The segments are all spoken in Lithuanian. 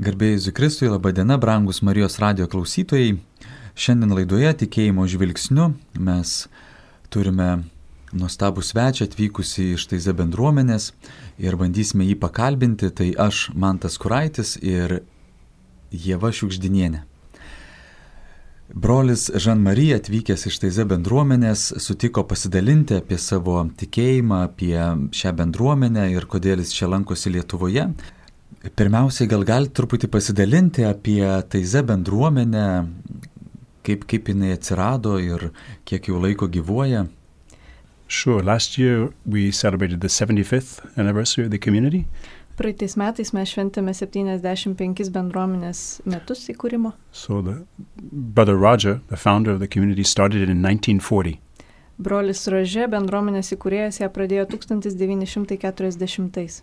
Garbėjai Jėzui Kristui, laba diena, brangus Marijos radijo klausytojai. Šiandien laidoje Tikėjimo žvilgsniu mes turime nuostabų svečią atvykusi iš Taize bendruomenės ir bandysime jį pakalbinti. Tai aš, Mantas Kuraitis ir Ieva Šiugždinienė. Brolis Žan-Marija atvykęs iš Taize bendruomenės sutiko pasidalinti apie savo tikėjimą, apie šią bendruomenę ir kodėl jis čia lankosi Lietuvoje. Pirmiausiai, gal galite truputį pasidalinti apie Taize bendruomenę, kaip jinai atsirado ir kiek jau laiko gyvuoja? Sure. Last year we celebrated the 75th anniversary of the community. Praeitais metais mes šventėme 75 bendruomenės metus įkūrimo. So Brother Roger, the founder of the community, started it in 1940. Brolis Rože, bendruomenės įkūrėjas, ją pradėjo 1940.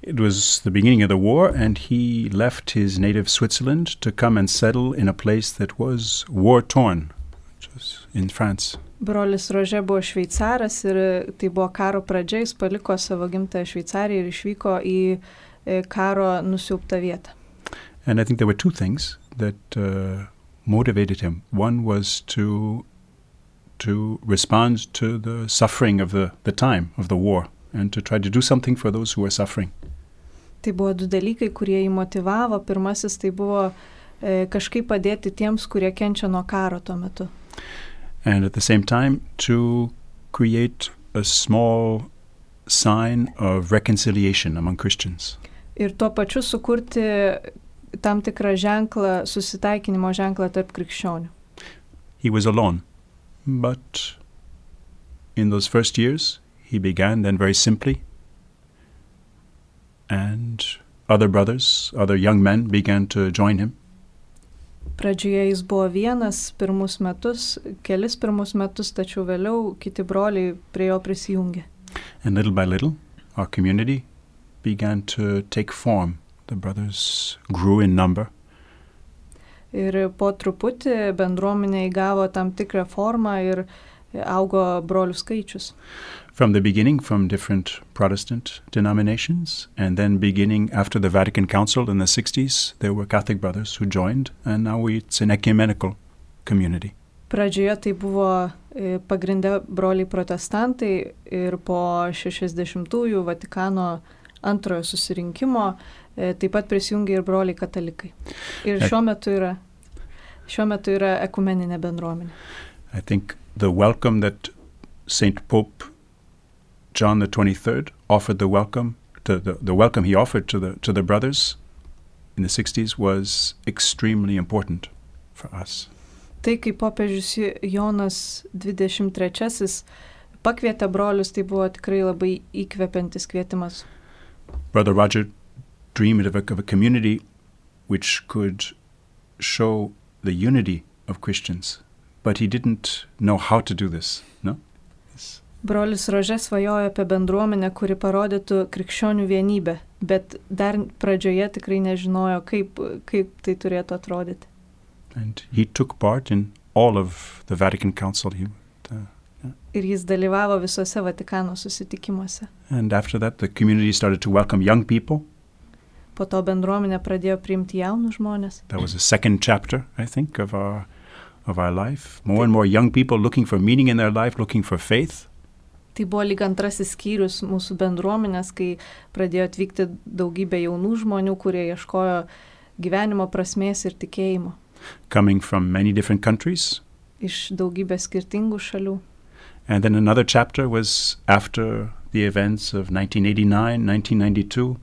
It was the beginning of the war, and he left his native Switzerland to come and settle in a place that was war-torn, which was in France. Brolis Rože buvo šveicaras ir tai buvo karo pradžia, jis paliko savo gimtąją Šveicariją ir išvyko į karo nusiaubtą vietą. And I think there were two things that motivated him. One was to respond to the suffering of the time of the war and to try to do something for those who were suffering. Tai buvo du dalykai, kurie jį motivavo. Pirmasis tai buvo kažkaip padėti tiems, kurie kenčia nuo karo tuo metu. And at the same time to create a small sign of reconciliation among Christians. Ir tuo pačiu sukurti tam tikrą ženklą, susitaikinimo ženklą tarp krikščionių. He was alone, but in those first years he began then very simply, and other brothers, other young men began to join him. Pradžioje jis buvo vienas kelis pirmus metus, tačiau vėliau kiti broliai prie jo prisijungė. And little by little, our community began to take form. The brothers grew in number. Ir po truputį bendruomenė įgavo tam tikrą formą ir augo brolių skaičius. From the beginning, from different Protestant denominations, and then beginning after the Vatican Council in the 60s, there were Catholic brothers who joined, and now it's an ecumenical community. Pradžioje tai buvo pagrinde broliai protestantai ir po 60-ųjų Vatikano antrojo susirinkimo taip pat prisijungė ir broliai katalikai. Ir šiuo metu yra ekumeninė bendruomenė. I think the welcome that Saint Pope John the 23rd offered the welcome he offered to the brothers in the 60s was extremely important for us. Tai kaip popiežius Jonas 23 pakvietė brolius, tai buvo tikrai labai įkvepiantis kvietimas. Brother Roger dreamed of a community which could show the unity of Christians, but he didn't know how to do this, no? Brolis Rože svajojo apie bendruomenę, kuri parodytų krikščionių vienybę, bet dar pradžioje tikrai nežinojo, kaip tai turėtų atrodyti. And he took part in all of the Vatican Council. Ir jis dalyvavo visose Vatikano susitikimuose. And after that, the community started to welcome young people. Po to bendruomenė pradėjo priimti jaunus žmonės. That was the second chapter, I think, of our life. More and more young people looking for meaning in their life, looking for faith. Tai buvo lyg antrasis skyrius mūsų bendruomenės, kai pradėjo atvykti daugybė jaunų žmonių, kurie ieškojo gyvenimo prasmės ir tikėjimo. Coming from many different countries. Iš daugybės skirtingų šalių. And then another chapter was after the events of 1989, 1992.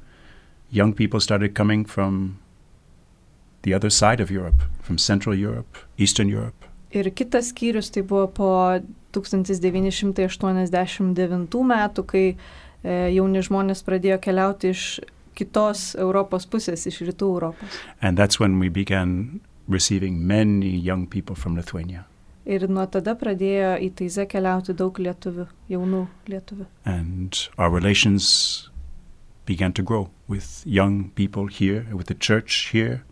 Young people started coming from the other side of Europe, from Central Europe, Eastern Europe. Ir kitas skyrius tai buvo po 1989 metų, kai jauni žmonės pradėjo keliauti iš kitos Europos pusės, iš rytų Europos. And that's when we began receiving many young people from Lithuania. Ir nuo tada pradėjo į Taizę keliauti daug lietuvių, jaunų lietuvių. And our relations began to grow with young people here, with the church here.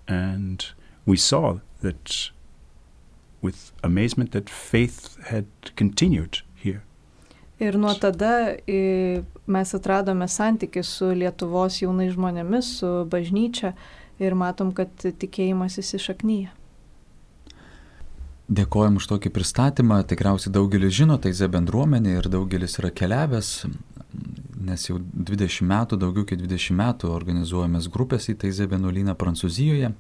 And we saw that with amazement that faith had continued here. Ir nuo tada mes atradome santykį su Lietuvos jaunais žmonėmis, su bažnyčia ir matom, kad tikėjimas įsišaknyja. Dėkojom už tokį pristatymą. Tikriausiai daugelis žino Taizė bendruomenė ir daugelis yra keliavęs, nes jau 20 metų, daugiau kaip 20 metų organizuojamės grupės į Taizė vienuolyną Prancūzijoje,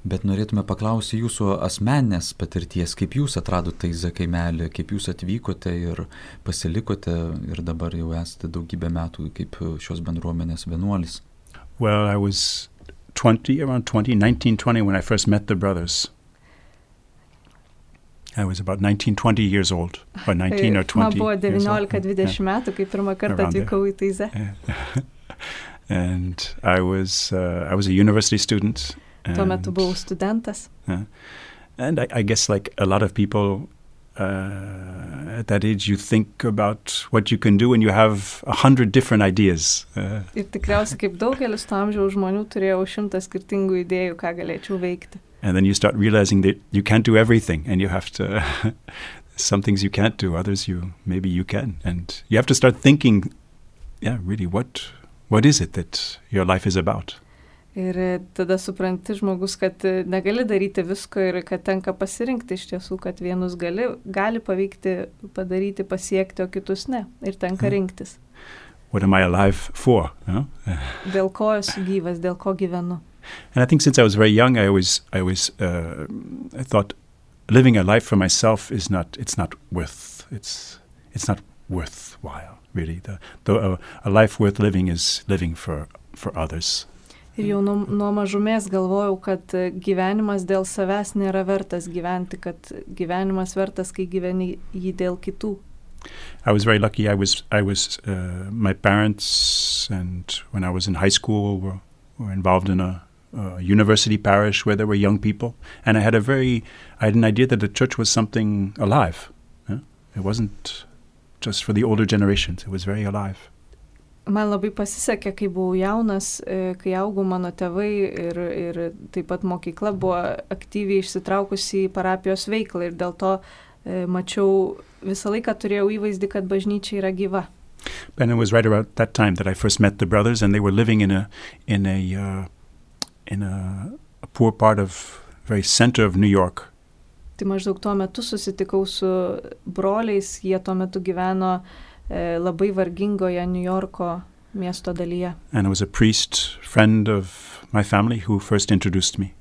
bet norėtume paklausyti jūsų asmeninės patirties, kaip jūs atradote Taizė kaimelį, kaip jūs atvykote ir pasilikote ir dabar jau esate daugybę metų kaip šios bendruomenės vienuolis. Well, I was around 1920 when I first met the brothers. I was about 19-20 years old, or 19 or 20 Man buvo 19-20 metų, kai pirmą kartą atvykau į Taizę. And I was a university student. Tuo metu buvau studentas. And I guess like a lot of people at that age, you think about what you can do and you have 100 different ideas. Ir tikriausiai kaip daugelis to amžiaus žmonių turėjau 100 skirtingų idėjų, ką galėčiau veikti. And then you start realizing that you can't do everything and you have to, some things you can't do, others maybe you can. And you have to start thinking, really, what is it that your life is about? Ir tada supranti žmogus, kad negali daryti visko ir kad tenka pasirinkti iš tiesų, kad vienus gali pavykti, padaryti, pasiekti, o kitus ne. Ir tenka rinktis. What am I alive for? Dėl ko esu gyvas, dėl ko gyvenu. And I think since I was very young, I thought living a life for myself it's not worthwhile, really. A life worth living is living for others. Ir jau nuo mažumės galvojau, kad gyvenimas dėl savęs nėra vertas gyventi, kad gyvenimas vertas, kai gyveni jį dėl kitų. I was very lucky. My parents, and when I was in high school, were involved in a university parish where there were young people, and I had an idea that the church was something alive. It wasn't just for the older generations; it was very alive. Man labai pasisekė, kai buvau jaunas, kai augau, mano tėvai ir taip pat mokykla buvo aktyviai išsitraukusi į parapijos veiklą ir dėl to mačiau, visą laiką turėjau įvaizdį, kad bažnyčia yra gyva. And it was right around that time that I first met the brothers, and they were living in a poor part of very center of New York. Tai maždaug tuo metu susitikau su broliais, jie tuo metu gyveno labai vargingoje New Yorko miesto dalyje. And it was a priest, friend of my family, who first introduced me.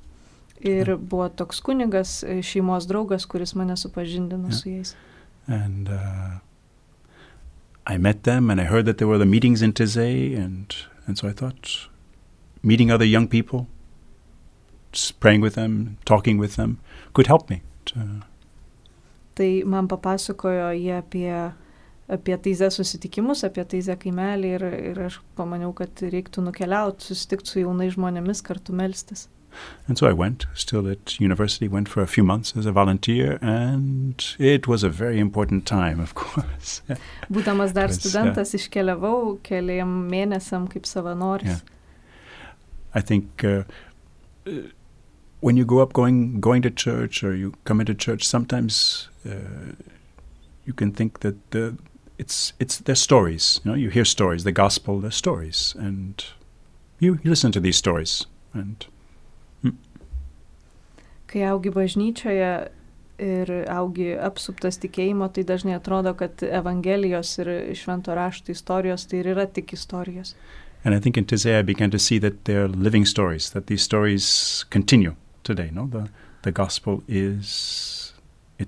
Ir buvo toks kunigas, šeimos draugas, kuris mane supažindino su jais. And I met them and I heard that there were the meetings in Taizé, and so I thought meeting other young people, just praying with them, talking with them, could help me. Tai man papasakojo jie apie Taizę susitikimus, apie Taizę kaimelį ir aš pamaniau, kad reiktų nukeliauti, susitikti su jaunais žmonėmis, kartu melstis. And so I went, still at university, went for a few months as a volunteer, and it was a very important time, of course. Būdamas dar studentas, iškeliavau keliam mėnesiam kaip savanoris. I think when you grow up going to church or you come into church, sometimes you can think that they're stories. You hear stories, the gospel, they're stories, and you listen to these stories. And kai augi bažnyčioje ir augi apsuptas tikėjimo, tai dažnai atrodo, kad evangelijos ir švento rašto istorijos tai ir yra tik istorijos. And I think in Taizé I began to see that they're living stories, that these stories continue today. No, the gospel it's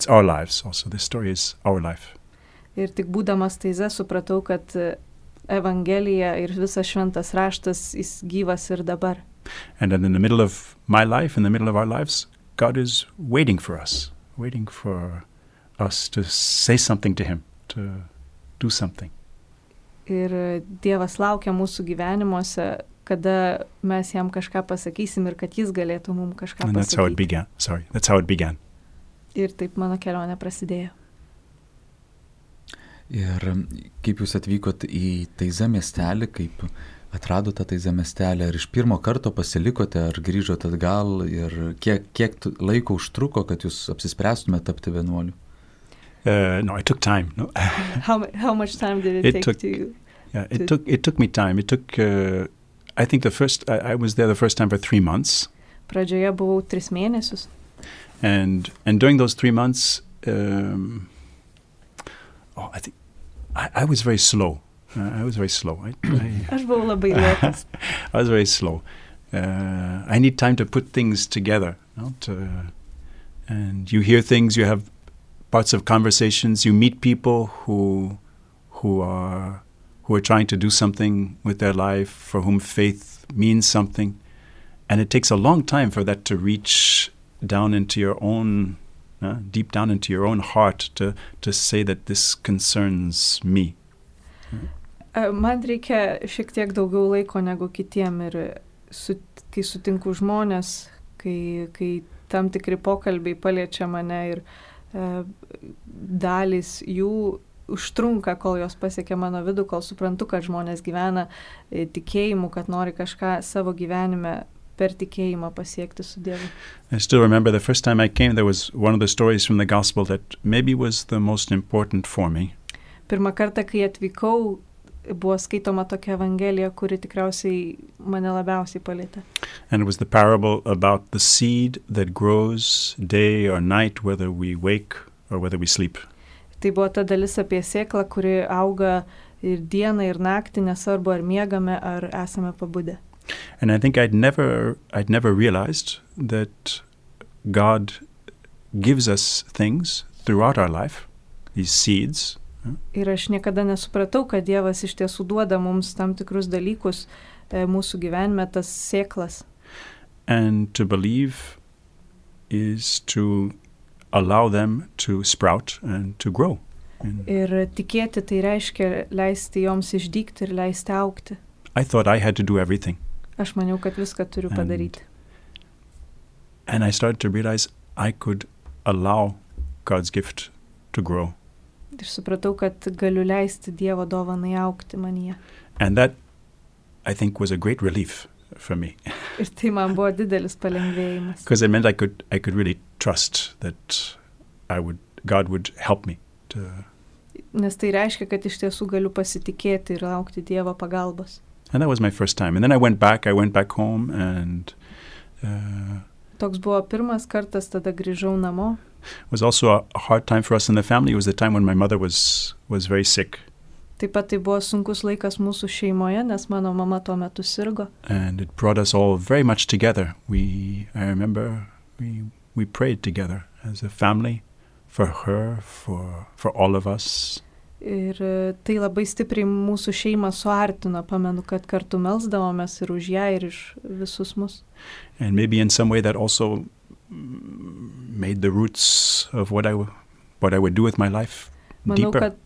our lives also. This story is our life. Ir tik būdamas Taizė supratau, kad evangelija ir visas šventas raštas jis gyvas ir dabar. And then in the middle of my life, in the middle of our lives, God is waiting for us to say something to Him, to do something. Ir Dievas laukia mūsų gyvenimuose, kada mes jam kažką pasakysim ir kad jis galėtų mums kažką pasakyti. And that's how it began. That's how it began. Ir taip mano kelionė prasidėjo. Ir kaip jūs atvykot į Taizę miestelį, kaip atradote Taizę miestelį, ar iš pirmo karto pasilikote, ar grįžote atgal ir kiek laiko užtruko, kad jūs apsispręstumėte tapti vienuoliu? No, it took time. No. How much time did it take to you? Yeah, it took me time. It took. I think I was there the first time for 3 months. Pradžioje buvau 3 mėnesius. And during those 3 months, I think I was very slow. I was very slow. Aš buvau labai lėtas. I was very slow. I need time to put things together. And you hear things, you have parts of conversations, you meet people who are trying to do something with their life, for whom faith means something. And it takes a long time for that to reach down into your own, deep down into your own heart to say that this concerns me. Man reikia šiek tiek daugiau laiko negu kitiem ir kai sutinku žmonės, kai tam tikri pokalbiai paliečia mane ir dalys jų užtrunka, kol jos pasiekia mano vidų, kol suprantu, kad žmonės gyvena tikėjimu, kad nori kažką savo gyvenime per tikėjimą pasiekti su Dievu. I still remember the first time I came, there was one of the stories from the gospel that maybe was the most important for me. Pirmą kartą, kai atvykau, buvo skaitoma tokia evangelija, kuri tikriausiai mane labiausiai palietė. And it was the parable about the seed that grows day or night, whether we wake or whether we sleep. Tai buvo ta dalis apie sėklą, kuri auga ir dieną, ir naktį, nesvarbu ar miegame, ar esame pabudę. And I think I'd never realized that God gives us things throughout our life, these seeds. Ir aš niekada nesupratau, kad Dievas iš tiesų duoda mums tam tikrus dalykus mūsų gyvenime, tas sėklas. And to believe is to allow them to sprout and to grow. Ir tikėti tai reiškia leisti joms išdygti ir leisti augti. I thought I had to do everything. Aš maniau, kad viską turiu padaryti. And I started to realize I could allow God's gift to grow. Ir supratau, kad galiu leisti Dievo dovanai augti manyje. And that, I think, was a great relief for me. Ir tai man buvo didelis palengvėjimas. Because it meant I could really trust that God would help me to. Nes tai reiškia, kad iš tiesų galiu pasitikėti ir laukti Dievo pagalbos. And that was my first time. And then I went back home and Toks buvo pirmas kartas, tada grįžau namo. It was also a hard time for us in the family. It was the time when my mother was very sick. Taip pat tai buvo sunkus laikas mūsų šeimoje, nes mano mama tuo metu sirgo. And it brought us all very much together. I remember we prayed together as a family for her, for all of us. Ir tai labai stipriai mūsų šeimą suartino, pamenu, kad kartu melsdavomės ir už ją, ir iš visus mus. And maybe in some way that also made the roots of what I would do with my life deeper. Manau, kad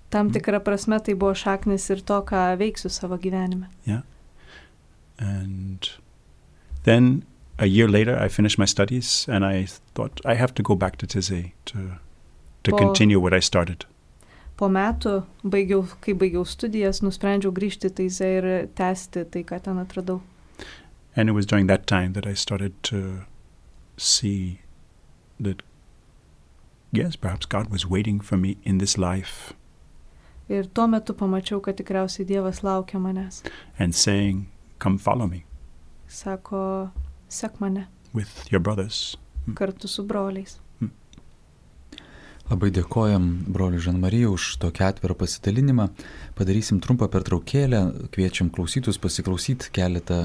tam tikra prasme tai buvo šaknis ir to, ką veiksiu savo gyvenime. Yeah. And then a year later I finished my studies and I thought I have to go back to Taizé to continue what I started. Po metų, kai baigiau studijas, nusprendžiau grįžti į Taizé ir tęsti tai, ką ten atradau. And it was during that time that I started to see that, yes, perhaps God was waiting for me in this life. Ir tuo metu pamačiau, kad tikriausiai Dievas laukia manęs. And saying, come follow me. Sako, sek mane. With your brothers. Kartu su broliais. Labai dėkojam broliui Žan-Marijai už tokį atvirą pasidalinimą. Padarysim trumpą pertraukėlę, kviečiam klausytus pasiklausyti keletą,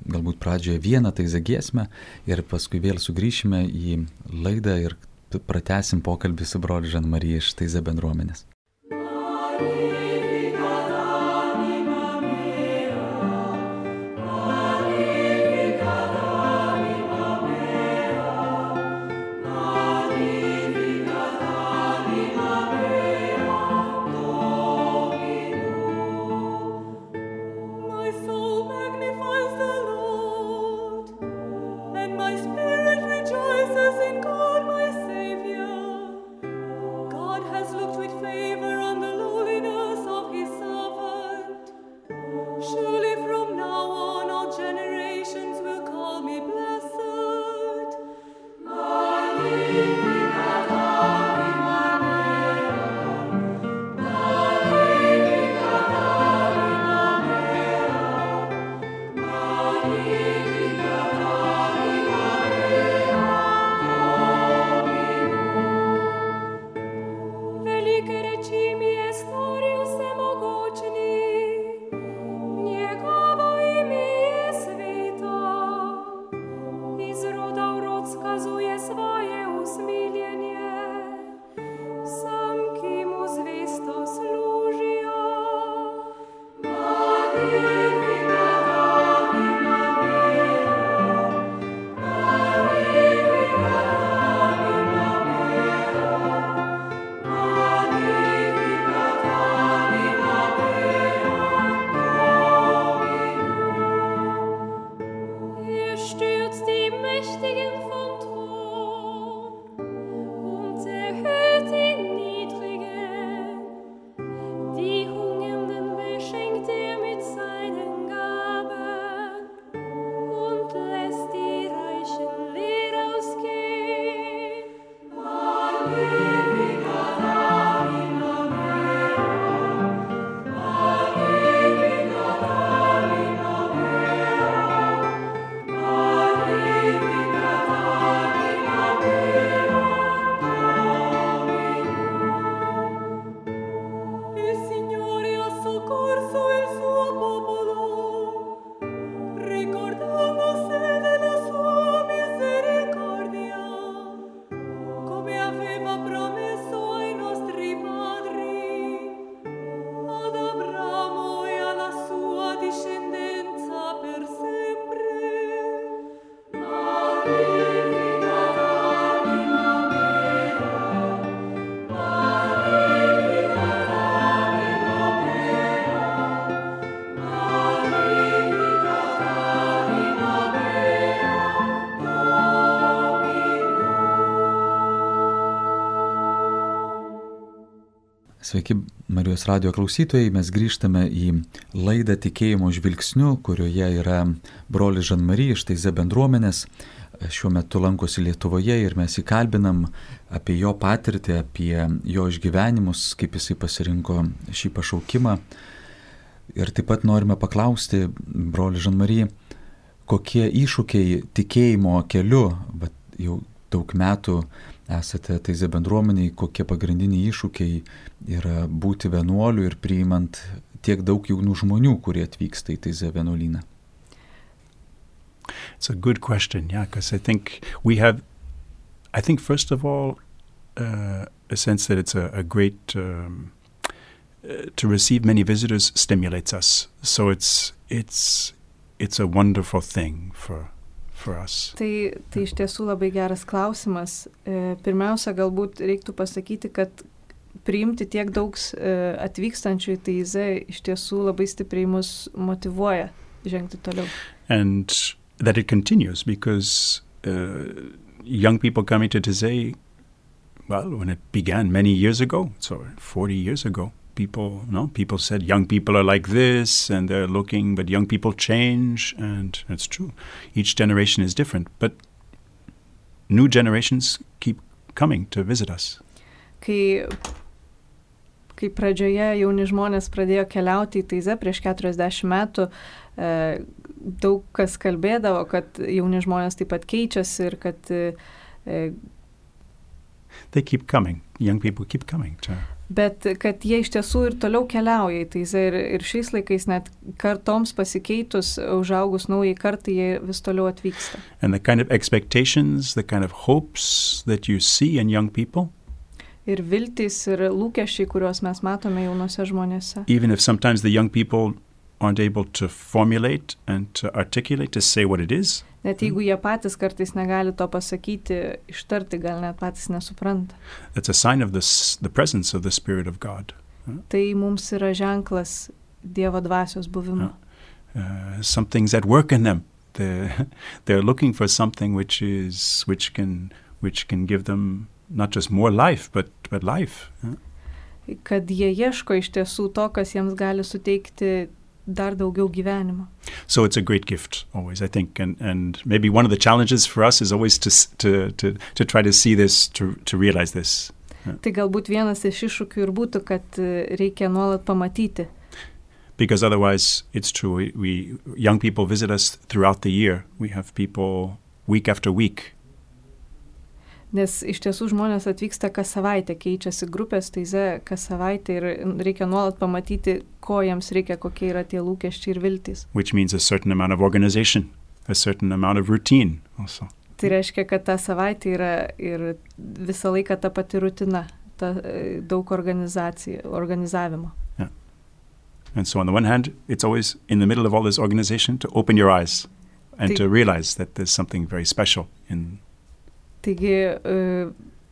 galbūt pradžioje vieną Taizé giesmę ir paskui vėl sugrįšime į laidą ir pratęsim pokalbį su broliu Žan-Marija iš Taizé bendruomenės. God has looked with favor Sveiki, Marijos radijo klausytojai, mes grįžtame į laidą Tikėjimo žvilgsniu, kurioje yra brolis Žan-Mari iš Taize bendruomenės. Šiuo metu lankosi Lietuvoje ir mes įkalbinam apie jo patirtį, apie jo išgyvenimus, kaip jisai pasirinko šį pašaukimą. Ir taip pat norime paklausti, broli Žan-Mari, kokie iššūkiai tikėjimo keliu, bet jau daug metų esate Taize bendruomeniai, kokie pagrindiniai iššūkiai yra būti vienuoliu ir priimant tiek daug jaunų žmonių, kurie atvyksta į Taize vienuolyną. It's a good question, because I think first of all, a sense that it's a great, to receive many visitors stimulates us. So it's a wonderful thing for us. Tai iš tiesų labai geras klausimas. Pirmiausia, galbūt reiktų pasakyti, kad priimti tiek daug atvykstančių į Taizę iš tiesų labai stipriai mus motyvuoja žengti toliau. And that it continues because young people coming to Taizé, well, when it began many years ago, so 40 years ago, people said young people are like this and they're looking, but young people change, and it's true. Each generation is different, but new generations keep coming to visit us. Kai pradžioje jauni žmonės pradėjo keliauti į Taizę prieš 40 metų, daug kas kalbėdavo, kad jauni žmonės taip pat keičiasi ir kad they keep coming, young people keep coming. Bet kad jie iš tiesų ir toliau keliauja į Taizę ir šiais laikais net kartoms pasikeitus, užaugus naujai kartai, jie vis toliau atvyksta. And the kind of expectations, the kind of hopes that you see in young people, ir viltys ir lūkesčiai, kuriuos mes matome jaunose žmonėse. Even if sometimes the young people aren't able to formulate and to articulate, to say what it is. Net jeigu jie patys kartais negali to pasakyti, ištarti, gal net patys nesupranta. That's a sign of the presence of the Spirit of God. Tai mums yra ženklas Dievo dvasios buvimo. Something's at work in them. They're looking for something which can give them not just more life, but life. Kad jie ieško iš tiesų to, kas jiems gali suteikti dar daugiau gyvenimo. So it's a great gift always, I think, and maybe one of the challenges for us is always to try to see this, to realize this. Tai galbūt vienas iš iššūkių ir būtų, kad reikia nuolat pamatyti. Because otherwise, it's true, we young people visit us throughout the year. We have people week after week. Nes iš tiesų žmonės atvyksta kas savaitę, keičiasi grupės Taize kas savaitę ir reikia nuolat pamatyti, ko jiems reikia, kokie yra tie lūkesčiai ir viltys. Which means a certain amount of organization, a certain amount of routine also. Tai reiškia, kad ta savaitė yra ir visą laiką ta pati rutina, daug organizavimo. Yeah. And so on the one hand, it's always in the middle of all this organization to open your eyes and to realize that there's something very special in. Taigi,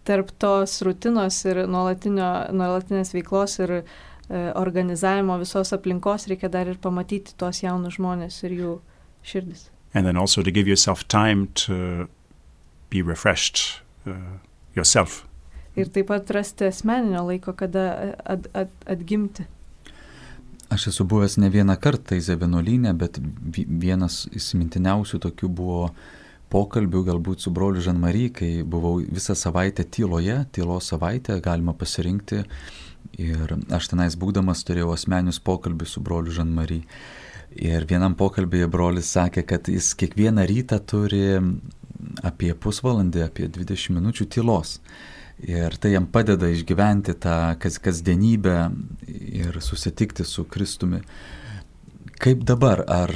tarp tos rutinos ir nuolatinės veiklos ir organizavimo visos aplinkos reikia dar ir pamatyti tos jaunus žmonės ir jų širdis. And then also to give yourself time to be refreshed yourself. Ir taip pat rasti asmeninio laiko, kada atgimti. Aš esu buvęs ne vieną kartą Taize vienuolyne, bet vienas įsimintiniausių tokių buvo pokalbių galbūt su broliu Žan-Mari, kai buvau visą savaitę tylos savaitę, galima pasirinkti. Ir aš tenais būdamas turėjau asmeninius pokalbius su broliu Žan-Mari. Ir vienam pokalbėje brolis sakė, kad jis kiekvieną rytą turi apie pusvalandį, apie 20 minučių tylos. Ir tai jam padeda išgyventi tą kasdienybę ir susitikti su Kristumi. Kaip dabar, ar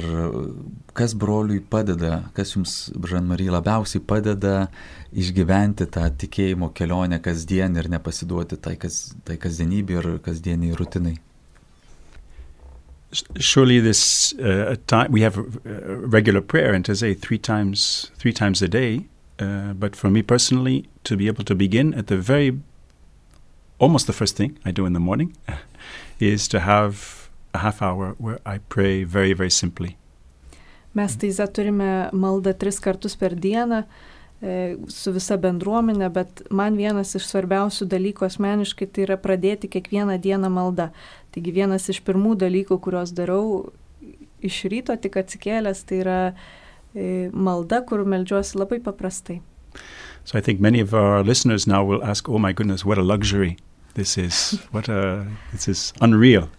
kas broliui padeda, kas jums, Žan-Mari, labiausiai padeda išgyventi tą tikėjimo kelionę kasdien ir nepasiduoti tai kasdienybė ir kasdieniai rutinai? Surely this time we have regular prayer and to say three times a day, but for me personally, to be able to begin at almost the first thing I do in the morning is to have a half hour where I pray very, very simply. Mes Taize turime maldą 3 kartus per dieną su visa bendruomenė, bet man vienas iš svarbiausių dalykų asmeniškai tai yra pradėti kiekvieną dieną maldą. Taigi vienas iš pirmų dalykų, kuriuos darau iš ryto tik atsikėlęs, tai yra malda, kur meldžiuosi labai paprastai. So I think many of our listeners now will ask, oh my goodness, what a luxury this is. This is unreal.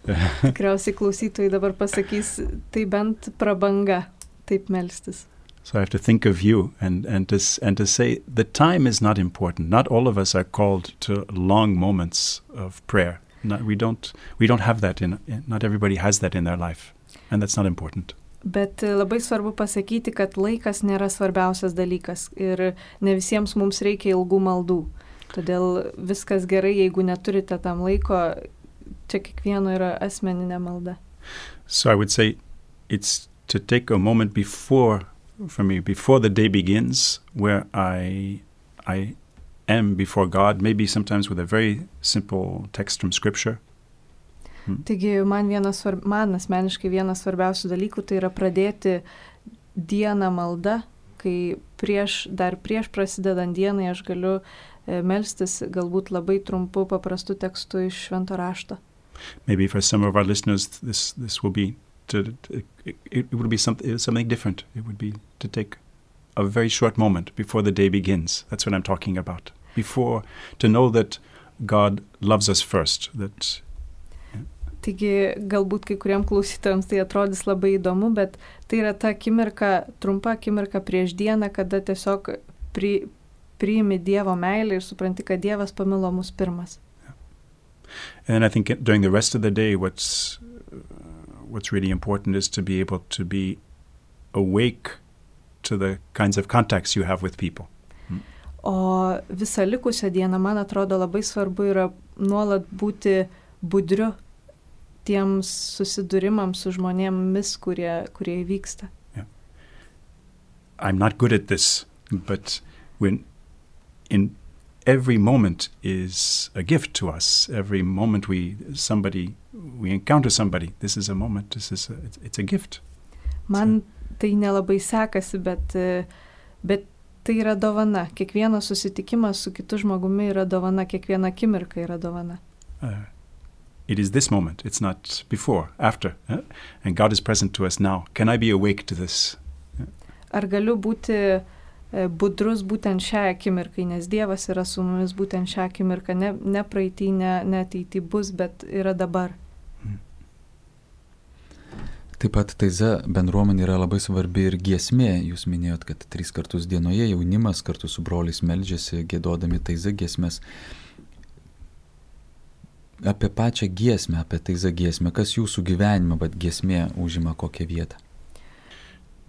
Tikriausiai klausytojai dabar pasakys, tai bent prabanga taip melstis. So I have to think of you and to say the time is not important. Not all of us are called to long moments of prayer. We don't have that not everybody has that in their life, and that's not important. Bet labai svarbu pasakyti, kad laikas nėra svarbiausias dalykas ir ne visiems mums reikia ilgų maldų. Todėl viskas gerai, jeigu neturite tam laiko, čia kiekvieno yra asmeninė malda. So I would say it's to take a moment before the day begins, where I am before God, maybe sometimes with a very simple text from Scripture. Taigi man asmeniškai vienas svarbiausių dalykų tai yra pradėti dieną maldą, kai prieš prasidedant dienai aš galiu melstis galbūt labai trumpu paprastu tekstu iš Švento rašto. Maybe for some of our listeners this will be it would be something different. It would be to take a very short moment before the day begins. That's what I'm talking about. Before, to know that God loves us first. Taigi galbūt kai kuriem klausytojams tai atrodys labai įdomu, bet tai yra ta trumpa akimirka prieš dieną, kada tiesiog priimi Dievo meilę ir supranti, kad Dievas pamilo mus pirmas. And I think during the rest of the day what's really important is to be able to be awake to the kinds of contacts you have with people. O visą likusią dieną, man atrodo, labai svarbu yra nuolat būti budriu tiems susidūrimams su žmonėmis, kurie įvyksta. Yeah. I'm not good at this, but in every moment is a gift to us. Every moment we encounter somebody, this is a moment, it's a gift. Man tai nelabai sekasi, bet tai yra dovana. Kiekvienas susitikimas su kitu žmogumi yra dovana, kiekviena akimirka yra dovana. It is this moment, it's not before, after. And God is present to us now. Can I be awake to this? Ar galiu būti budrus būtent šią akimirką, nes Dievas yra su mumis būtent šią akimirką, ne praeitį, ne ateitį bus, bet yra dabar. Taip pat taiza bendruomenė yra labai svarbi ir giesmė. Jūs minėjot, kad 3 kartus dienoje jaunimas kartu su broliais meldžiasi, giedodami taiza giesmės. Apie pačią giesmę, apie taiza giesmę, kas jūsų gyvenime, bet giesmė užima kokią vietą?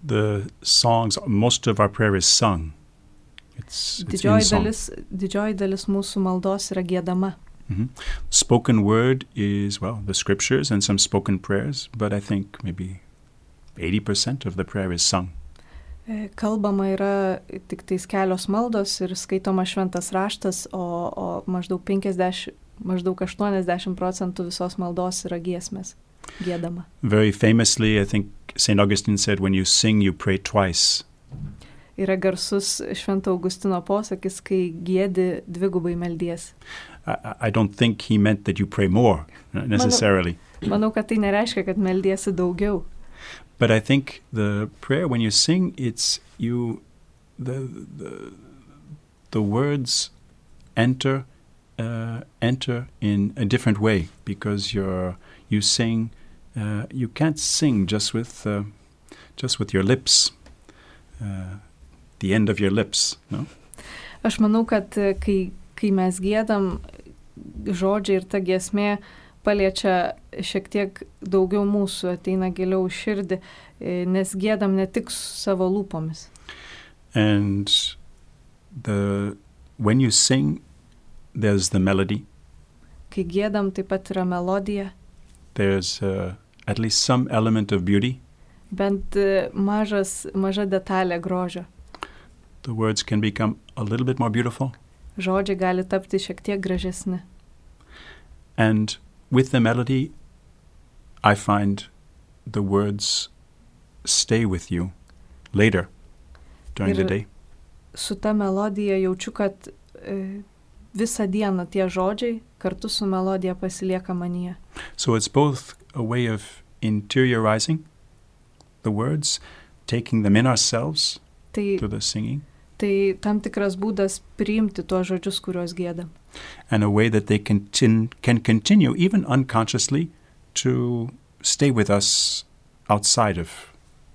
The songs, most of our prayer is sung. Didžioji dalis mūsų maldos yra giedama. Mm-hmm. Spoken word is, the scriptures and some spoken prayers, but I think maybe 80% of the prayer is sung. Kalbama yra tik tais kelios maldos ir skaitoma šventas raštas, o maždaug 80% visos maldos yra giesmės, giedama. Very famously, I think St. Augustine said, when you sing, you pray twice. Yra garsus Švento Augustino posakis, kai giedi dvigubai meldies. I don't think he meant that you pray more, necessarily. Manau, kad tai nereiškia, kad meldiesi daugiau. But I think the prayer, when you sing, it's you, the words enter in a different way, because you sing, you can't sing just with your lips, the end of your lips, no? Aš manau, kad kai mes giedam, žodžiai ir ta giesmė paliečia šiek tiek daugiau mūsų, ateina giliau širdį, nes giedam ne tik savo lūpomis. And when you sing, there's the melody. Kai giedam, taip pat yra melodija. There's at least some element of beauty. Bent maža detalė grožio. The words can become a little bit more beautiful. Žodžiai gali tapti šiek tiek gražesni. And with the melody, I find the words stay with you later during the day. su ta melodija jaučiu, kad visą dieną tie žodžiai kartu su melodija pasilieka manyje. So it's both a way of interiorizing the words, taking them in ourselves through the singing. Tai tam tikras būdas priimti tuos žodžius, kuriuos giedam. And a way that they can continue, even unconsciously, to stay with us outside of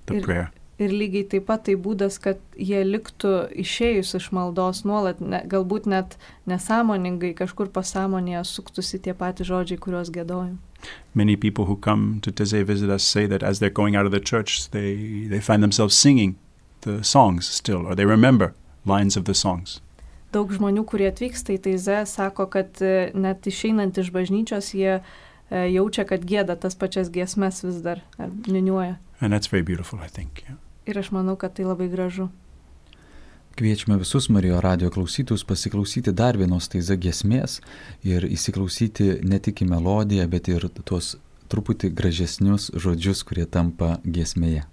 the prayer. Ir lygiai taip pat tai būdas, kad jie liktų išėjus iš maldos nuolat, galbūt net nesąmoningai kažkur pasąmonėje suktųsi tie patys žodžiai, kuriuos giedojam. Many people who come to Taizé visit us say that as they're going out of the church, they find themselves singing the songs still, or they remember lines of the songs. Daug žmonių, kurie atvyksta į Taizé, sako, kad net išeinant iš bažnyčios, jie jaučia, kad gieda tas pačias giesmes vis dar, niūniuoja. And that's very beautiful, I think. Yeah. Ir aš manau, kad tai labai gražu. Kviečiame visus Marijos radijo klausytojus pasiklausyti dar vienos Taizé giesmės ir įsiklausyti ne tik į melodiją, bet ir tuos truputį gražesnius žodžius, kurie tampa giesmėje.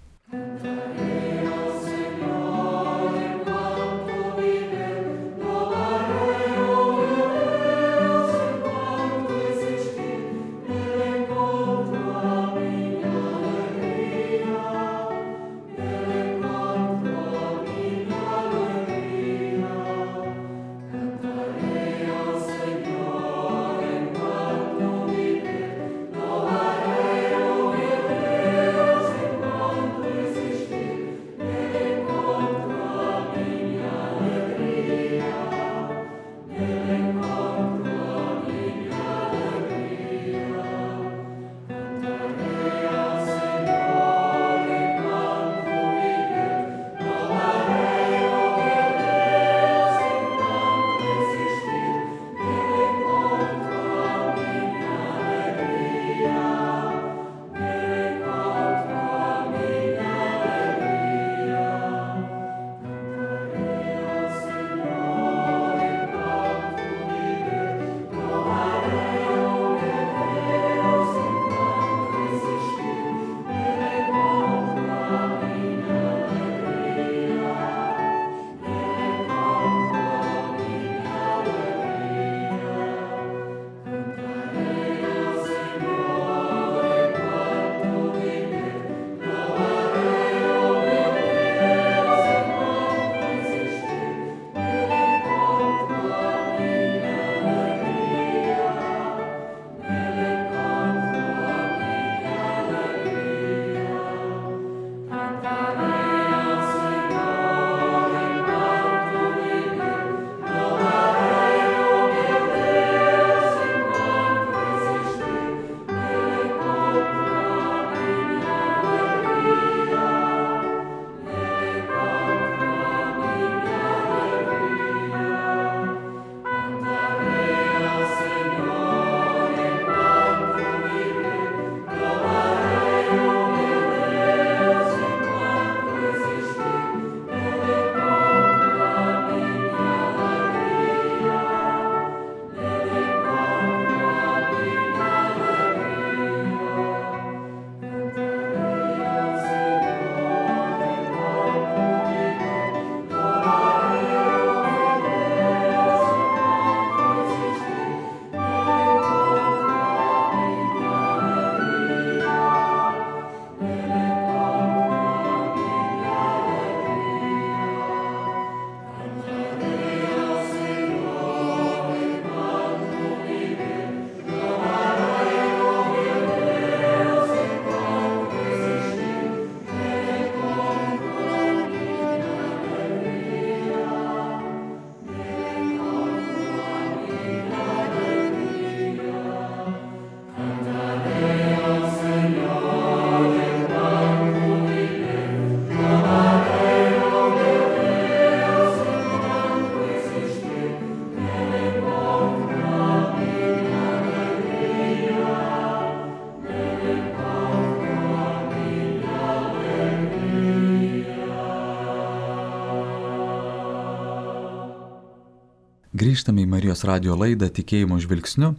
Grįžtame į Marijos radijo laidą Tikėjimo žvilgsniu.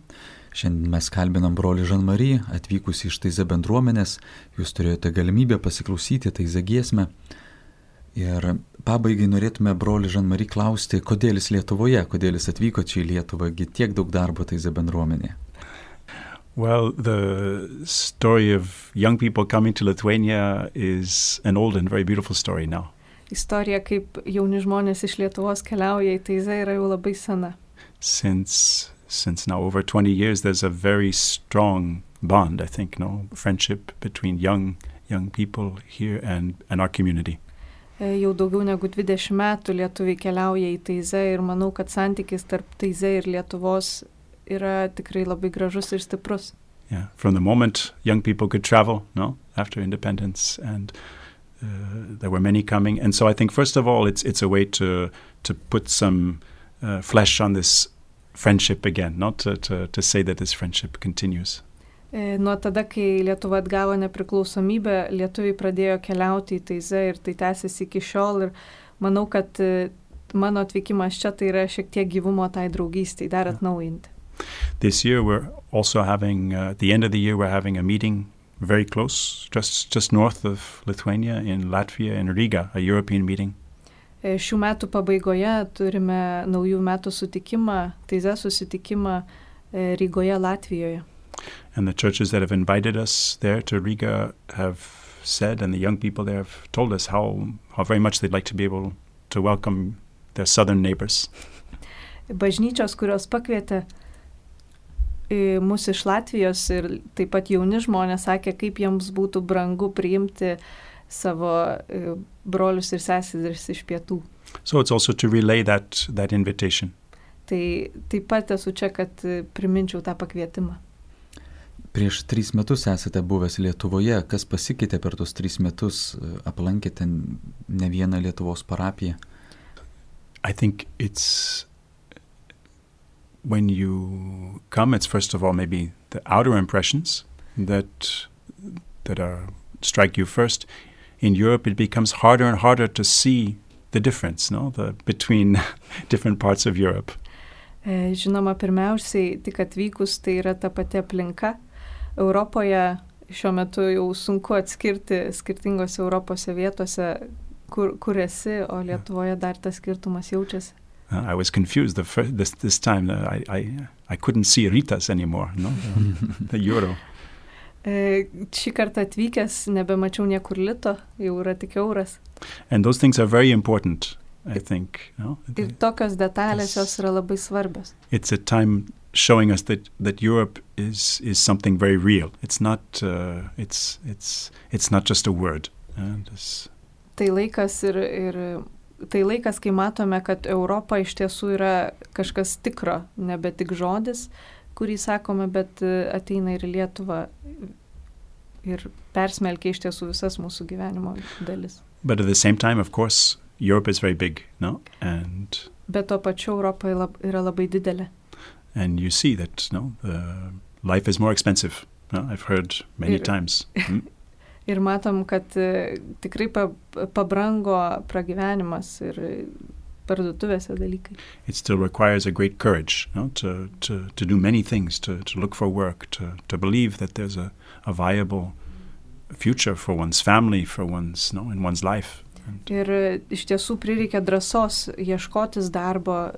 Šiandien mes kalbinam brolį Žan-Marie, atvykusi iš Taizé bendruomenės. Jūs turėjote galimybę pasiklausyti Taizé giesmę. Ir Pabaigai norėtume brolį Jean-Marie klausti, kodėl jis Lietuvoje, kodėl jis atvyko čia į Lietuvą, tiek daug darbo Taizė bendruomenėje. Well, the story of young people coming to Lithuania is an old and very beautiful story now. Istorija, kaip jauni žmonės iš Lietuvos keliauja į Taizę, yra jau labai sena. Since now over 20 years, there's a very strong bond, I think, friendship between young people here and our community. Jau daugiau negu 20 metų lietuviai keliauja į Taizę ir manau, kad santykis tarp Taizę ir Lietuvos yra tikrai labai gražus ir stiprus. Yeah, from the moment young people could travel, after independence, and there were many coming, and so I think first of all it's a way to put some flesh on this friendship again, not to say that this friendship continues. Nuo tada, kai Lietuva atgavo nepriklausomybę, lietuviai pradėjo keliauti į Taizę ir tai tęsiasi iki šiol ir manau, kad mano atvykimas čia tai yra šiek tiek gyvumo tai draugystei, dar atnaujinti. This year we're also having, at the end of the year, we're having a meeting very close, just north of Lithuania in Latvia, in Riga, a European meeting. Šių metų pabaigoje turime naujų metų sutikimą, Taizę susitikimą Rygoje, Latvijoje. And the churches that have invited us there to Riga have said, and the young people there have told us how very much they'd like to be able to welcome their southern neighbors. Bažnyčios, kurios pakvietė mus iš Latvijos ir taip pat jauni žmonės sakė, kaip jiems būtų brangu priimti savo brolius ir seseris iš pietų. So it's also to relay that invitation. Tai taip pat esu čia, kad priminčiau tą pakvietimą. Prieš 3 metus esate buvęs Lietuvoje. Kas pasikeitė per tos 3 metus? Aplankėte ne vieną Lietuvos parapiją? I think it's when you come, it's first of all maybe the outer impressions that strike you first. In Europe, it becomes harder and harder to see the difference, between different parts of Europe. Žinoma, pirmiausiai, tik atvykus, tai yra ta pati aplinka. Europoje šiuo metu jau sunku atskirti skirtingose Europose vietose, kur esi, o Lietuvoje dar tas skirtumas jaučiasi. I was confused this time. I couldn't see Ritas anymore, the euro. Šį kartą atvykęs nebemačiau niekur lito, jau yra tik euras. And those things are very important, I think. Ir tokios detalės jos yra labai svarbios. It's a time showing us that Europe is something very real. It's not it's not just a word. Tai laikas tai laikas, kai matome, kad Europa iš tiesų yra kažkas tikro, nebe tik žodis, kurį sakome, bet ateina ir Lietuva ir persmelkia iš tiesų visas mūsų gyvenimo dalis. But at the same time, of course, Europe is very big, and bet to pačiu Europa yra labai didelė. And you see that, life is more expensive. I've heard many times. Ir matom, kad tikrai pabrango pragyvenimas ir parduotuvėse dalykai. It still requires a great courage, to do many things, to look for work, to believe that there's a viable future for one's family, for one's, in one's life. Ir iš tiesų prireikia drąsos ieškotis darbo,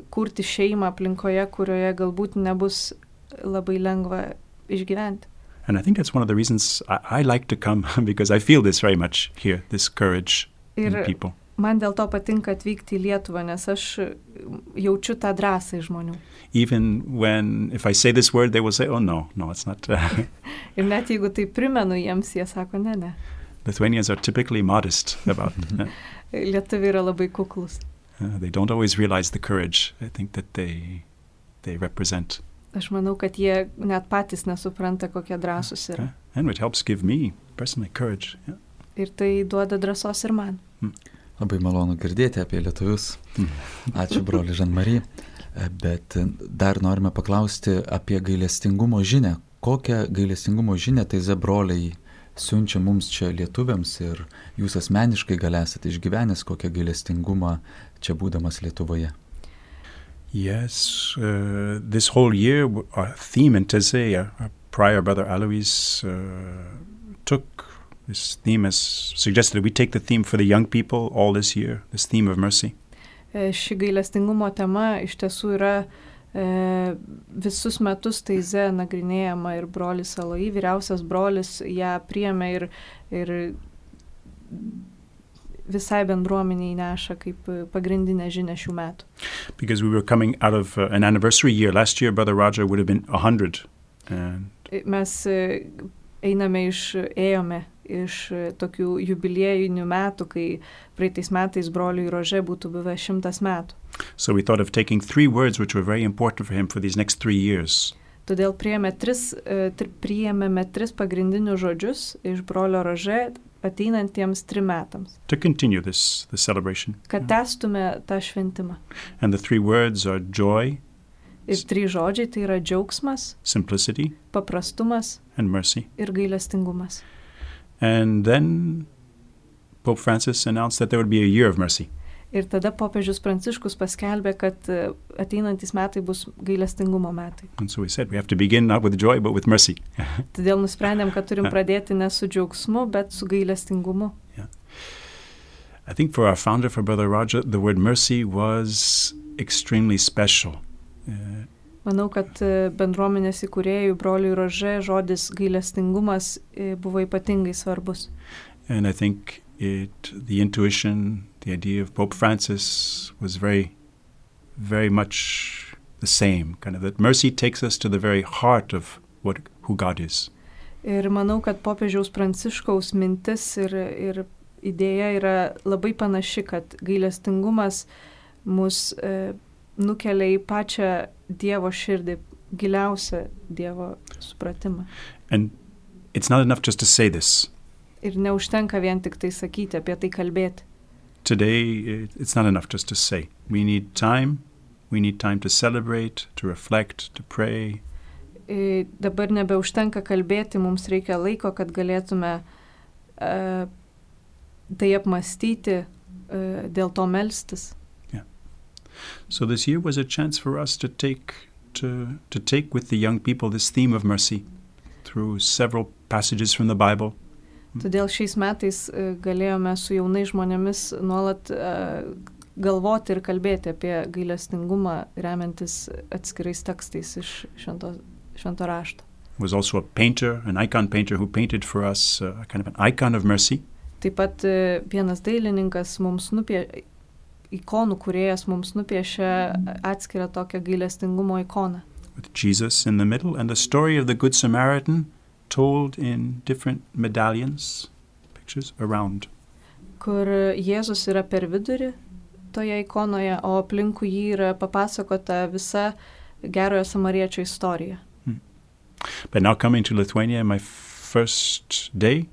kurti šeimą aplinkoje, kurioje galbūt nebus labai lengva išgyventi. And I think that's one of the reasons I like to come, because I feel this very much here, this courage in people. Man dėl to patinka atvykti į Lietuvą, nes aš jaučiu tą drąsą iš žmonių. Even if I say this word, they will say, oh no, it's not. Ir net jeigu tai primenu jiems, jie sako, ne. Lithuanians are typically modest about it. Lietuviai yra labai kuklus. They don't always realize the courage, I think, that they represent. Aš manau, kad jie net patys nesupranta, kokie drąsūs yra. And it helps give me personally courage. Yeah. Ir tai duoda drąsos ir man. Labai malonu girdėti apie lietuvius. Ačiū, broli Jean-Marie. Bet dar norime paklausti apie gailestingumo žinią. Kokią gailestingumo žinią Taizė broliai siunčia mums čia lietuviams ir jūs asmeniškai gal esate išgyvenęs kokią gailestingumą čia būdamas Lietuvoje? Yes, this whole year our theme in Taizė, our prior brother Alois took This theme has suggested that we take the theme for the young people all this year, this theme of mercy. Ši gailestingumo tema iš tiesų yra visus metus taize nagrinėjama ir brolis Aloy, vyriausias brolis, ją priėmė ir visai bendruomeniai neša kaip pagrindinę žinią šių metų. Because we were coming out of an anniversary year. Last year, Brother Raja would have been 100. Mes ėjome iš tokių jubiliejinių metų, kai praeitais metais broliui Rože būtų buvę 100 metų. So we thought of taking 3 words which were very important for him for these next 3 years. Todėl priėmėme 3 pagrindinius žodžius iš brolio Rože ateinantiems 3 metams. To continue the celebration. Kad tęstume tą šventimą. And the 3 words are joy. Ir 3 žodžiai tai yra džiaugsmas, simplicity, paprastumas and mercy. Ir gailestingumas. And then Pope Francis announced that there would be a year of mercy. Ir tada popiežius Pranciškus paskelbė, kad ateinantys metai bus gailestingumo metai. And so we said we have to begin not with joy but with mercy. Todėl nusprendėm, kad turim pradėti ne su džiaugsmu, bet su gailestingumu. Yeah. I think for our founder, for Brother Raja, the word mercy was extremely special. Manau, kad bendruomenės įkūrėjų broliui Rože žodis gailestingumas buvo ypatingai svarbus. And I think the intuition, the idea of Pope Francis was very, very much the same, kind of that mercy takes us to the very heart of who God is. Ir manau, kad popiežiaus Pranciškaus mintis ir idėja yra labai panaši, kad gailestingumas mus nukelia į pačią Dievo širdį, giliausią Dievo supratimą. And it's not enough just to say this. Ir neužtenka vien tik tai sakyti, apie tai kalbėti. Today, it's not enough just to say. We need time to celebrate, to reflect, to pray. Dabar nebeužtenka kalbėti, mums reikia laiko, kad galėtume tai apmąstyti, dėl to melstis. So this year was a chance for us to take with the young people this theme of mercy through several passages from the Bible. Todėl šiais metais galėjome su jaunais žmonėmis nuolat galvoti ir kalbėti apie gailestingumą, remiantis atskirais tekstais iš švento rašto. Was also a painter, an icon painter who painted for us kind of an icon of mercy. Taip pat vienas dailininkas ikonų kūrėjas mums nupiešė atskirą tokią gailestingumo ikoną. With Jesus in the middle and the story of the Good Samaritan told in different medallions, pictures around. Kur Jėzus yra per vidurį toje ikonoje, o aplinkui jį yra papasakota visa gerojo samariečio istorija. But now coming to Lithuania, my first day,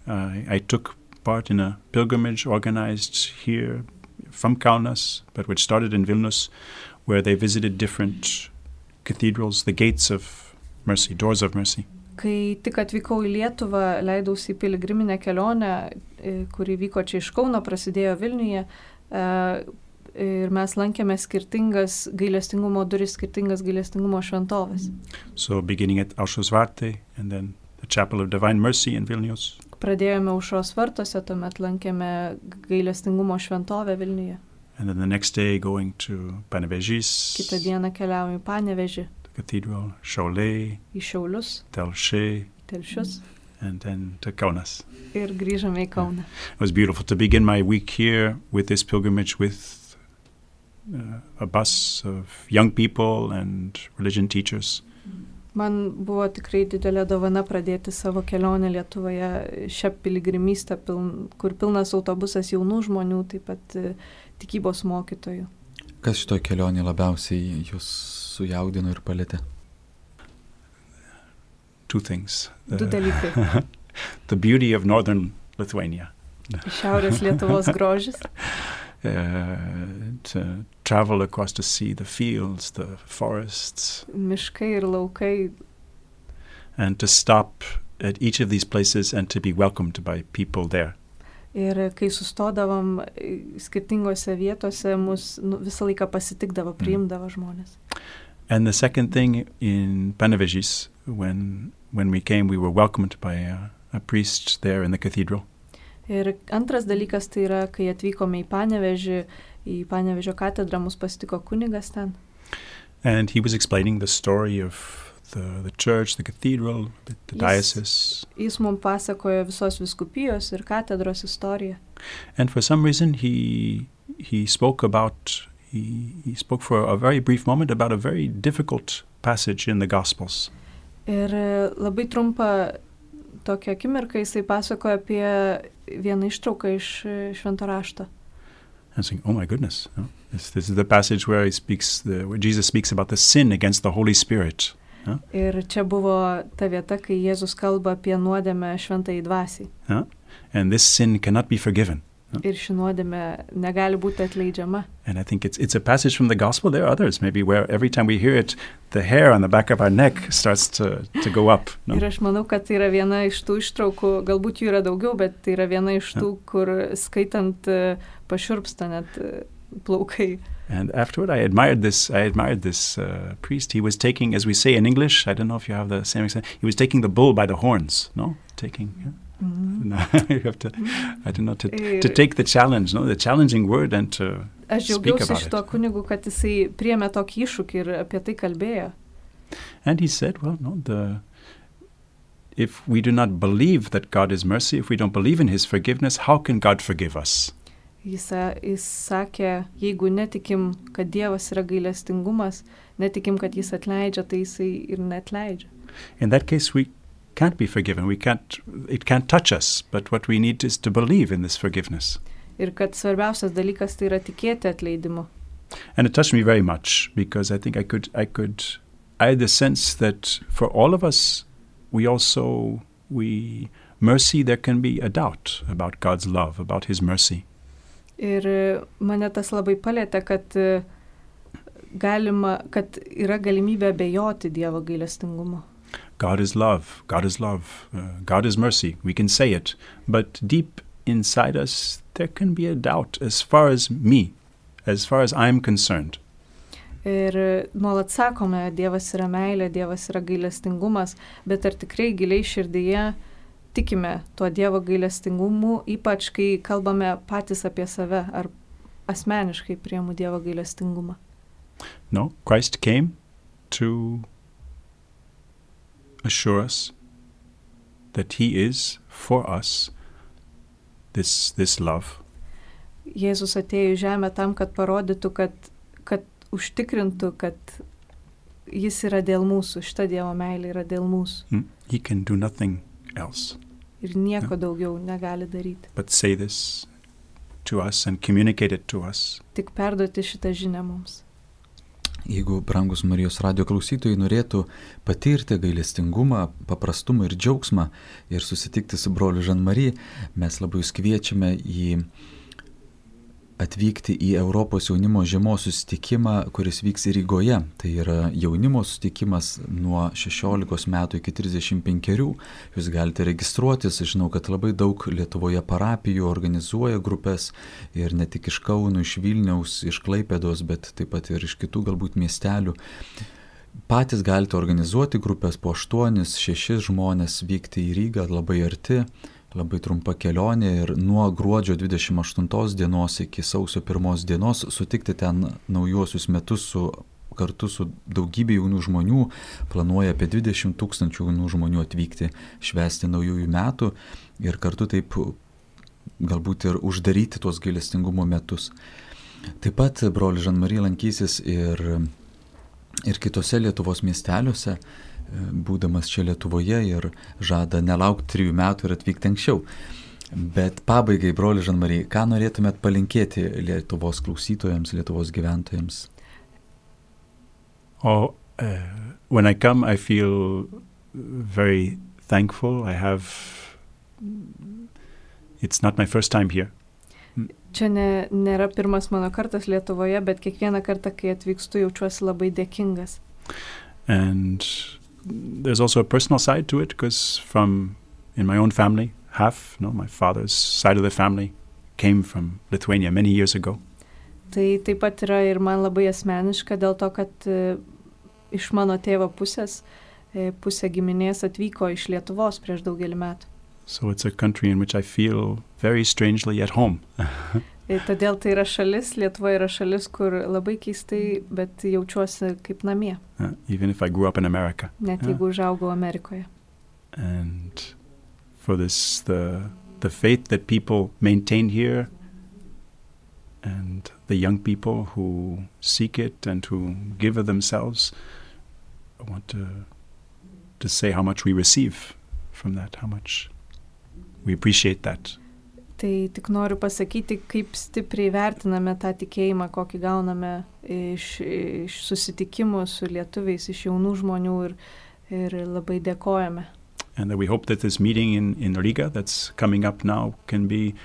I took part in a pilgrimage organized here from Kaunas, but which started in Vilnius, where they visited different cathedrals, the gates of mercy, doors of mercy. Kai tik atvykau į Lietuvą, leidausi į piligriminę kelionę, kuri vyko čia iš Kauno, prasidėjo Vilniuje, ir mes lankėme skirtingas gailestingumo duris, skirtingas gailestingumo šventovės. So beginning at Aušros Vartai and then the Chapel of Divine Mercy in Vilnius. Pradėjome Aušros vartuose, tuomet lankėme gailestingumo šventovę Vilniuje. And then the next day going to Panevėžys. Kitą dieną keliaujame į Panevėžį. Cathedral, Šiauliai, į Šiaulius, Telšius, and then to Kaunas. Ir grįžome į Kauną. It was beautiful to begin my week here with this pilgrimage with a bus of young people and religion teachers. Man buvo tikrai didelė dovana pradėti savo kelionę Lietuvoje, šią piligrimystę, kur pilnas autobusas jaunų žmonių, taip pat tikybos mokytojų. Kas šitoj kelionė labiausiai jūs sujaudino ir palietė? Two things. Du dalykai. The beauty of northern Lithuania. Šiaurės Lietuvos grožis. To travel across the sea, the fields, the forests. Miškai ir laukai. And to stop at each of these places and to be welcomed by people there. Ir kai sustodavom skirtingose vietose, mus visą laiką pasitikdavo, priimdavo žmonės. And the second thing in Panevėžys, when we came, we were welcomed by a priest there in the cathedral. Ir antras dalykas tai yra, kai atvykome į Panevėžio katedrą, mus pasitiko kunigas ten. And he was explaining the story of the church, the cathedral, the diocese. Jis mums pasakojo visos vyskupijos ir katedros istoriją. And for some reason he spoke for a very brief moment about a very difficult passage in the Gospels. Ir labai trumpą tokią akimirką jisai pasakojo apie vieną ištrauką iš Švento rašto. And saying, oh my goodness, no? This is the passage where where Jesus speaks about the sin against the Holy Spirit. No? Ir čia buvo ta vieta, kai Jėzus kalba apie nuodėmę šventajai dvasiai. No? And this sin cannot be forgiven. No? Ir ši nuodėmė negali būti atleidžiama. And I think it's a passage from the Gospel. There are others, maybe, where every time we hear it, the hair on the back of our neck starts to go up. No? Ir aš manau, kad tai yra viena iš tų ištraukų, galbūt jų yra daugiau, bet tai yra viena iš tų, kur skaitant pašiurpsta net plaukai. And afterward, I admired this priest. He was taking, as we say in English, I don't know if you have the same example, he was taking the bull by the horns, no? No, you have to, I don't know, to take the challenge, no? The challenging word and to speak about it. Aš džiaugiausi šito kunigu, kad jisai priėmė tokį iššūkį ir apie tai kalbėjo. And he said, well, no, if we do not believe that God is mercy, if we don't believe in his forgiveness, how can God forgive us? Jis sakė, jeigu netikim, kad Dievas yra gailestingumas, netikim, kad jis atleidžia, tai jisai ir neatleidžia. In that case, we can't be forgiven. It can't touch us, but what we need is to believe in this forgiveness. Ir kad svarbiausias dalykas tai yra tikėti atleidimu. And it touched me very much because I think I had the sense that for all of us, mercy, there can be a doubt about God's love, about his mercy. Ir mane tas labai palėtė, kad yra galimybė abejoti Dievo gailestingumo. God is love, God is love, God is mercy, we can say it, but deep inside us there can be a doubt as far as I'm concerned. Ir nuolat sakome, Dievas yra meilė, Dievas yra gailestingumas, bet ar tikrai giliai širdyje tikime tuo Dievo gailestingumu, ypač kai kalbame patys apie save, ar asmeniškai priimu Dievo gailestingumą? No, Christ came to assure us that he is for us this love. Jėzus atėjo į žemę tam, kad parodytų, kad užtikrintų, kad jis yra dėl mūsų, šita Dievo meilė yra dėl mūsų. He can do nothing else. Ir nieko daugiau negali daryti. But say this to us and communicate it to us. Tik perduoti šitą žinią mums. Jeigu brangus Marijos radijo klausytojai norėtų patirti gailestingumą, paprastumą ir džiaugsmą ir susitikti su broliu Jean-Marie, mes labai jūs kviečiame atvykti į Europos jaunimo žiemos susitikimą, kuris vyks Rygoje. Tai yra jaunimo susitikimas nuo 16 metų iki 35. Jūs galite registruotis. Žinau, kad labai daug Lietuvoje parapijų organizuoja grupės ir ne tik iš Kauno, iš Vilniaus, iš Klaipėdos, bet taip pat ir iš kitų galbūt miestelių. Patys galite organizuoti grupės po 8-6 žmonės, vykti į Rygą labai arti. Labai trumpa kelionė ir nuo gruodžio 28 dienos iki sausio 1 dienos sutikti ten naujuosius metus kartu su daugybė jaunų žmonių. Planuoja apie 20 000 jaunų žmonių atvykti švęsti naujųjų metų ir kartu taip galbūt ir uždaryti tuos gailestingumo metus. Taip pat brolis Jean-Marie lankysis ir kitose Lietuvos miesteliuose, būdamas čia Lietuvoje, ir žada nelaukti 3 metų ir atvykti anksčiau. Bet pabaigai, broli Jean-Marie, ką norėtumėt palinkėti Lietuvos klausytojams, Lietuvos gyventojams? When I come, I feel very thankful. It's not my first time here. Čia nėra pirmas mano kartas Lietuvoje, bet kiekvieną kartą, kai atvykstu, jaučiuosi labai dėkingas. And there's also a personal side to it, because in my own family, my father's side of the family came from Lithuania many years ago. Tai taip pat yra ir man labai asmeniška, dėl to, kad iš mano tėvo pusė giminės atvyko iš Lietuvos prieš daugelį metų. So it's a country in which I feel very strangely at home. Todėl tai yra šalis, Lietuva yra šalis, kur labai keistai, bet jaučiuosi kaip namie. Even if I grew up in America. Net jeigu užaugau Amerikoje. And for this, the faith that people maintain here, and the young people who seek it and who give of themselves, I want to say how much we receive from that, how much we appreciate that. Tai tik noriu pasakyti, kaip stipriai vertiname tą tikėjimą, kokį gauname iš susitikimų su lietuviais, iš jaunų žmonių ir labai dėkojame. And that we hope that this meeting in Riga that's coming up now can be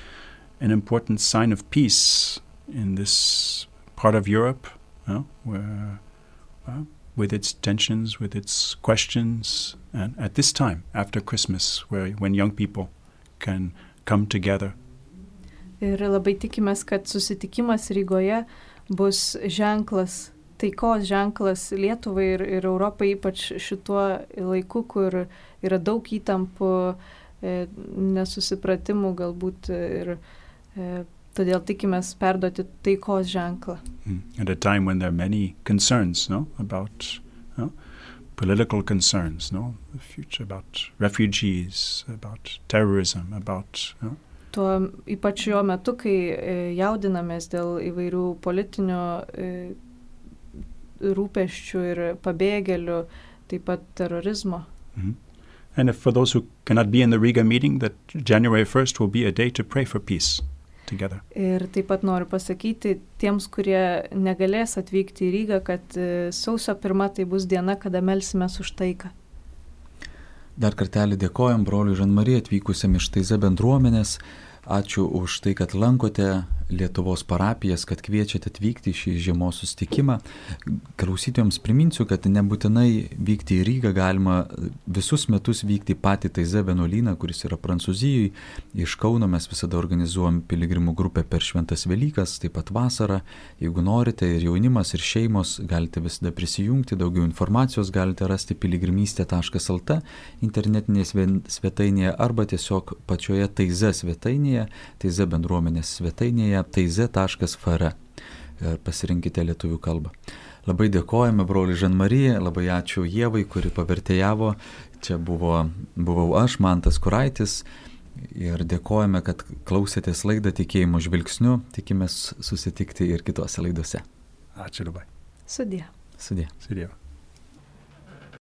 an important sign of peace in this part of Europe, where with its tensions, with its questions, and at this time, after Christmas, when young people can come together. Ir labai tikimės, kad susitikimas Rygoje bus ženklas, taikos ženklas Lietuvai ir Europai, ypač šituo laiku, kur yra daug įtampų, nesusipratimų galbūt ir todėl tikimės perduoti taikos ženklą. At a time when there are many concerns, about political concerns, the future, about refugees, about terrorism, about Tuo ypač jo metu, kai jaudinamės dėl įvairių politinių rūpesčių ir pabėgėlių, taip pat terorizmo. And for those who cannot be in the Riga meeting, that January 1st will be a day to pray for peace together. Ir taip pat noriu pasakyti tiems, kurie negalės atvykti į Rygą, kad sausio 1 tai bus diena, kada melsimės už taiką. Dar kartelį dėkojam broliui Žan-Marijai atvykusiam iš Taize bendruomenės. Ačiū už tai, kad lankote Lietuvos parapijas, kad kviečiate atvykti į šį žiemos susitikimą. Klausytojams priminsiu, kad nebūtinai vykti į Rygą, galima visus metus vykti į patį Taize vienuolyną, kuris yra Prancūzijoje. Iš Kauno mes visada organizuojam piligrimų grupę per Šventas Velykas, taip pat vasarą. Jeigu norite, ir jaunimas, ir šeimos, galite visada prisijungti. Daugiau informacijos galite rasti piligrimystė.lt internetinėje svetainėje arba tiesiog pačioje Taize svetainėje, Taize bendruomenės svetainėje, taize.fr. Pasirinkite lietuvių kalbą. Labai dėkojame broliui Žan-Marijai, labai ačiū Ievai, kuri pavertėjavo. Čia buvau aš, Mantas Kuraitis, ir dėkojame, kad klausėtės laidą Tikėjimo žvilgsniu. Tikimės susitikti ir kitose laidose. Ačiū labai. Sudie. Sudie. Sudie.